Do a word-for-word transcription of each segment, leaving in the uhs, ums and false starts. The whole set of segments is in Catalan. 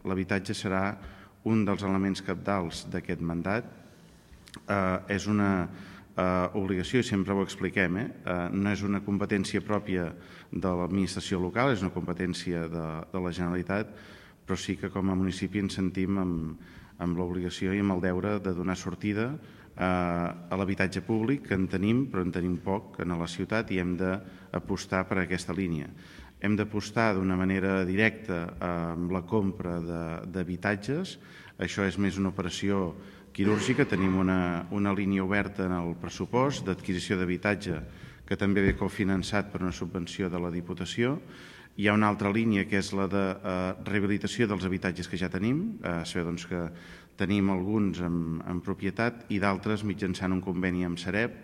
L'habitatge serà un dels elements cabdals d'aquest mandat. Eh, és una eh, obligació, i sempre ho expliquem, eh? Eh, no és una competència pròpia de l'administració local, és una competència de, de la Generalitat, però sí que com a municipi ens sentim amb, amb l'obligació i amb el deure de donar sortida eh, a l'habitatge públic, que en tenim, però en tenim poc en la ciutat, i hem d'apostar per aquesta línia. Hem d'apostar d'una manera directa amb la compra d'habitatges. Això és més una operació quirúrgica. Tenim una, una línia oberta en el pressupost d'adquisició d'habitatge que també ve cofinançat per una subvenció de la Diputació. Hi ha una altra línia que és la de eh, rehabilitació dels habitatges que ja tenim. Eh, sabeu doncs, que tenim alguns en, en propietat i d'altres mitjançant un conveni amb Sareb,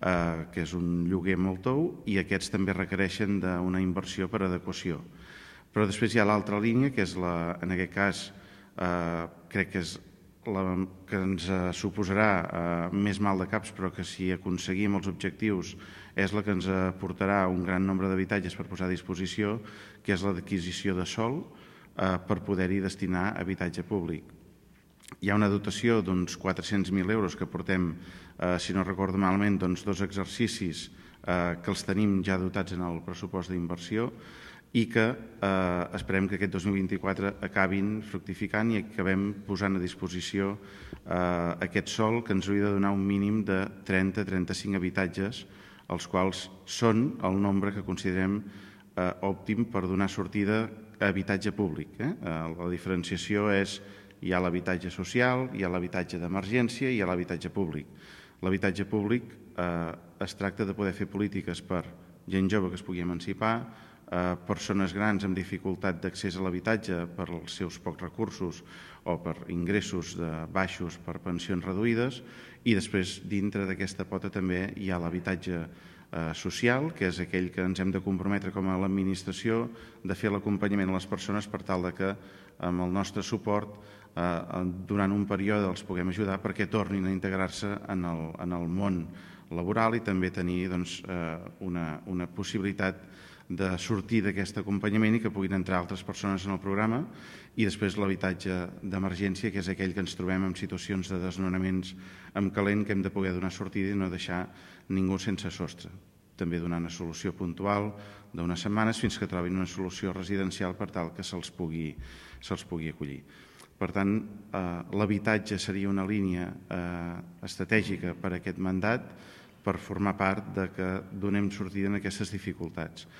eh, que és un lloguer molt tou, i aquests també requereixen d'una inversió per adequació. Però després hi ha l'altra línia, que és la, en aquest cas, eh, crec que és la que ens suposarà eh, més mal de caps, però que si aconseguim els objectius és la que ens aportarà un gran nombre d'habitatges per posar a disposició, que és l'adquisició de sòl eh, per poder-hi destinar habitatge públic. Hi ha una dotació d'uns quatre-cents mil euros que portem, eh, si no recordo malament, doncs, dos exercicis eh, que els tenim ja dotats en el pressupost d'inversió i que eh, esperem que aquest dos mil vint-i-quatre acabin fructificant i acabem posant a disposició eh, aquest sòl que ens hauria de donar un mínim de trenta a trenta-cinc habitatges, els quals són el nombre que considerem eh, òptim per donar sortida a habitatge públic. Eh? Eh, la diferenciació és hi ha l'habitatge social, hi ha l'habitatge d'emergència i hi ha l'habitatge públic. L'habitatge públic eh, es tracta de poder fer polítiques per gent jove que es pugui emancipar, eh, persones grans amb dificultat d'accés a l'habitatge per als seus pocs recursos o per ingressos de baixos per pensions reduïdes, i després dintre d'aquesta pota també hi ha l'habitatge eh, social, que és aquell que ens hem de comprometre com a l'administració de fer l'acompanyament a les persones per tal de que amb el nostre suport eh, durant un període els puguem ajudar perquè tornin a integrar-se en, el, en el món laboral i també tenir doncs, eh, una, una possibilitat de sortir d'aquest acompanyament i que puguin entrar altres persones en el programa. I després l'habitatge d'emergència, que és aquell que ens trobem en situacions de desnonaments amb calent, que hem de poder donar sortida i no deixar ningú sense sostre. També donar una solució puntual d'unes setmanes fins que trobin una solució residencial per tal que se'ls pugui, se'ls pugui acollir. Per tant, eh, l'habitatge seria una línia eh, estratègica per a aquest mandat per formar part de que donem sortida en aquestes dificultats.